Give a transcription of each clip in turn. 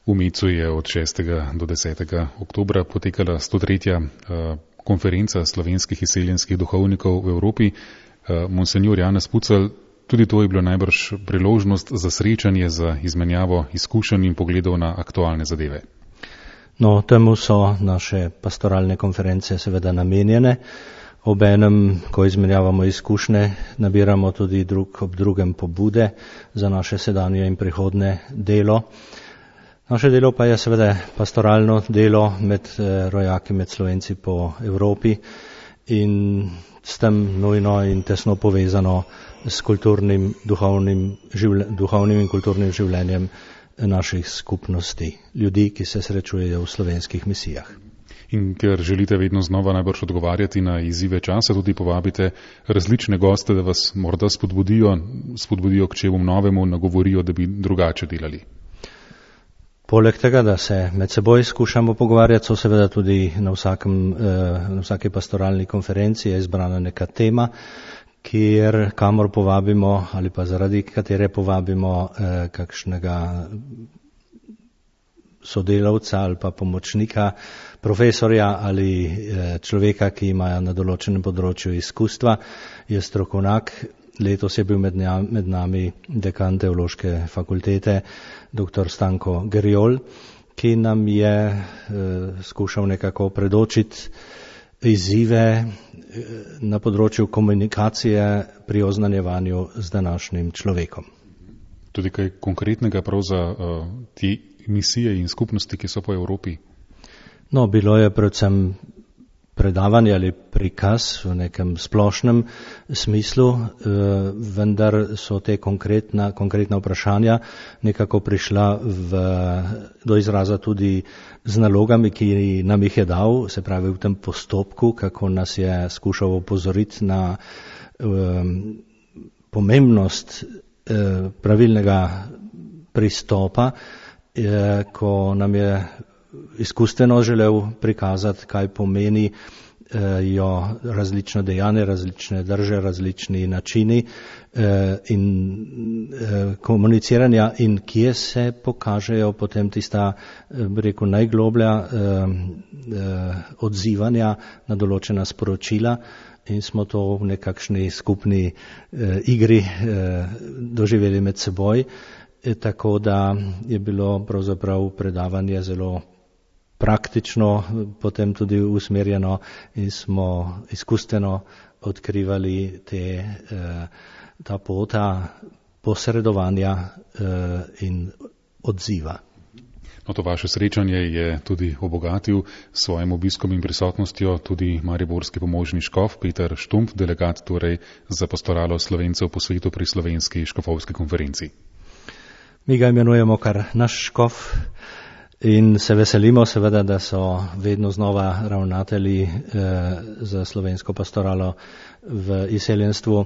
V Mecu je od 6. do 10. oktobra potekala 103. konferenca slovenskih izseljenskih duhovnikov v Evropi. Monsenjor Janez Pucelj, tudi to je bilo najbrž priložnost za srečanje, za izmenjavo izkušenj in pogledov na aktualne zadeve. No, temu so naše pastoralne konference seveda namenjene. Obenem, ko izmenjavamo izkušnje, nabiramo tudi drug ob drugem pobude za naše sedanje in prihodne delo. Naše delo pa je seveda pastoralno delo med rojaki, med Slovenci po Evropi in s tem nujno in tesno povezano s kulturnim, duhovnim in kulturnim življenjem naših skupnosti, ljudi, ki se srečujejo v slovenskih misijah. In ker želite vedno znova najbrž odgovarjati na izzive časa, tudi povabite različne goste, da vas morda spodbudijo k čemu novemu, nagovorijo, da bi drugače delali. Poleg tega, da se med seboj skušamo pogovarjati, so seveda tudi na vsaki pastoralni konferenci je izbrana neka tema, kamor povabimo ali pa zaradi katere povabimo kakšnega sodelavca ali pa pomočnika, profesorja ali človeka, ki ima na določenem področju izkustva, je strokovnjak. Letos je bil med nami dekan teološke fakultete, dr. Stanko Gerjol, ki nam je skušal nekako predočiti izzive na področju komunikacije pri oznanjevanju z današnjim človekom. Tudi kaj konkretnega prav za te misije in skupnosti, ki so po Evropi? No, bilo je predvsem predavanje ali prikaz v nekem splošnem smislu, vendar so te konkretna vprašanja nekako prišla do izraza tudi z nalogami, ki nam jih je dal, se pravi v tem postopku, kako nas je skušal opozoriti na pomembnost pravilnega pristopa, ko nam je izkustveno želel prikazati, kaj pomeni različna dejanja, različne drže, različni načini in komuniciranja in kje se pokažejo potem tista, bi rekel, najgloblja odzivanja na določena sporočila in smo to v nekakšni skupni igri doživeli med seboj, tako da je bilo pravzaprav predavanje zelo praktično potem tudi usmerjeno in smo izkustveno odkrivali ta pota posredovanja in odziva. No, to vaše srečanje je tudi obogatil s svojim obiskom in prisotnostjo tudi mariborski pomožni škof Peter Štumpf, delegat torej za pastoralo Slovencev po svetu pri slovenski škofovski konferenci. Mi ga imenujemo kar naš škof. In se veselimo seveda, da so vedno znova ravnatelji za slovensko pastoralo v izseljenstvu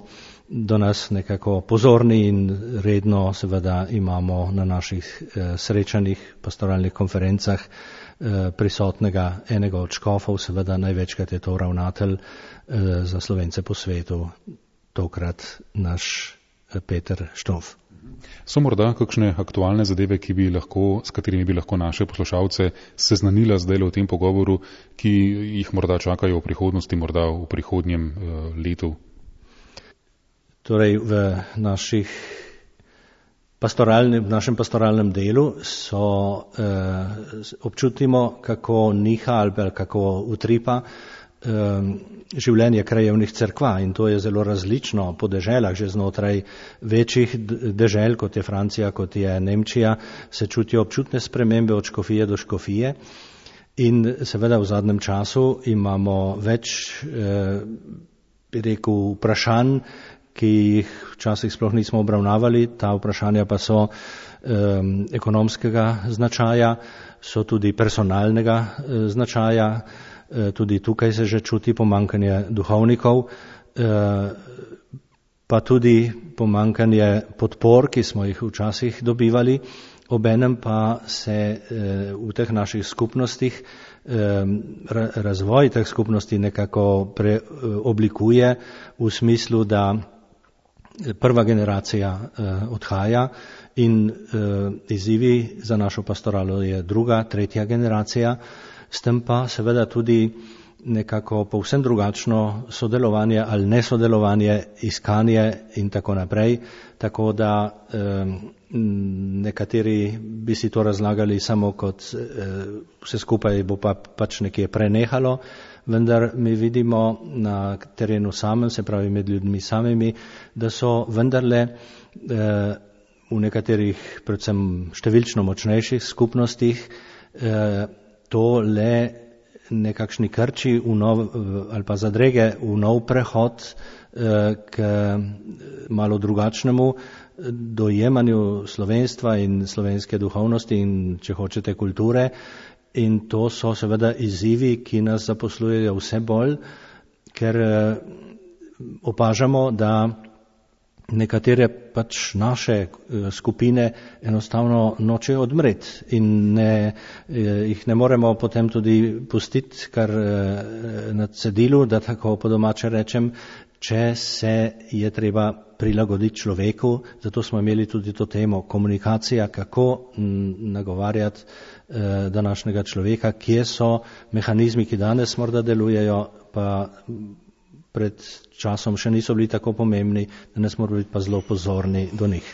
do nas nekako pozorni in redno seveda imamo na naših srečanjih, pastoralnih konferencah prisotnega enega od škofov, seveda največkrat je to ravnatelj za Slovence po svetu, tokrat naš Peter Štumpf. So morda kakšne aktualne zadeve, s katerimi bi lahko naše poslušalce seznanila zdaj v tem pogovoru, ki jih morda čakajo v prihodnosti, morda v prihodnjem letu? Torej, v našem pastoralnem delu občutimo, kako niha ali kako utripa življenje krajevnih cerkva in to je zelo različno po deželah, že znotraj večjih dežel, kot je Francija, kot je Nemčija, se čutijo občutne spremembe od škofije do škofije in seveda v zadnjem času imamo več, bi rekel, vprašanj, ki jih včasih sploh nismo obravnavali, ta vprašanja pa so ekonomskega značaja, so tudi personalnega značaja. Tudi tukaj se že čuti pomanjkanje duhovnikov, pa tudi pomanjkanje podpor, ki smo jih včasih dobivali, obenem pa se v teh naših skupnostih razvoj teh skupnosti nekako preoblikuje v smislu, da prva generacija odhaja in izzivi za našo pastoralo je druga, tretja generacija, s tem pa seveda tudi nekako povsem drugačno sodelovanje ali nesodelovanje, iskanje in tako naprej, tako da nekateri bi si to razlagali samo kot vse skupaj bo pač nekje prenehalo, vendar mi vidimo na terenu samem, se pravi med ljudmi samimi, da so vendarle v nekaterih predvsem številčno močnejših skupnostih to le nekakšni krči ali pa zadrege v nov prehod k malo drugačnemu dojemanju slovenstva in slovenske duhovnosti in, če hočete, kulture. In to so seveda izzivi, ki nas zaposlujejo vse bolj, ker opažamo, da nekatere pač naše skupine enostavno nočejo odmreti in jih ne moremo potem tudi pustiti kar na cedilu, da tako po domače rečem, če se je treba prilagoditi človeku. Zato smo imeli tudi to temo komunikacija, kako nagovarjati današnjega človeka, kje so mehanizmi, ki danes morda delujejo, pa pred časom še niso bili tako pomembni, danes moramo biti pa zelo pozorni do njih.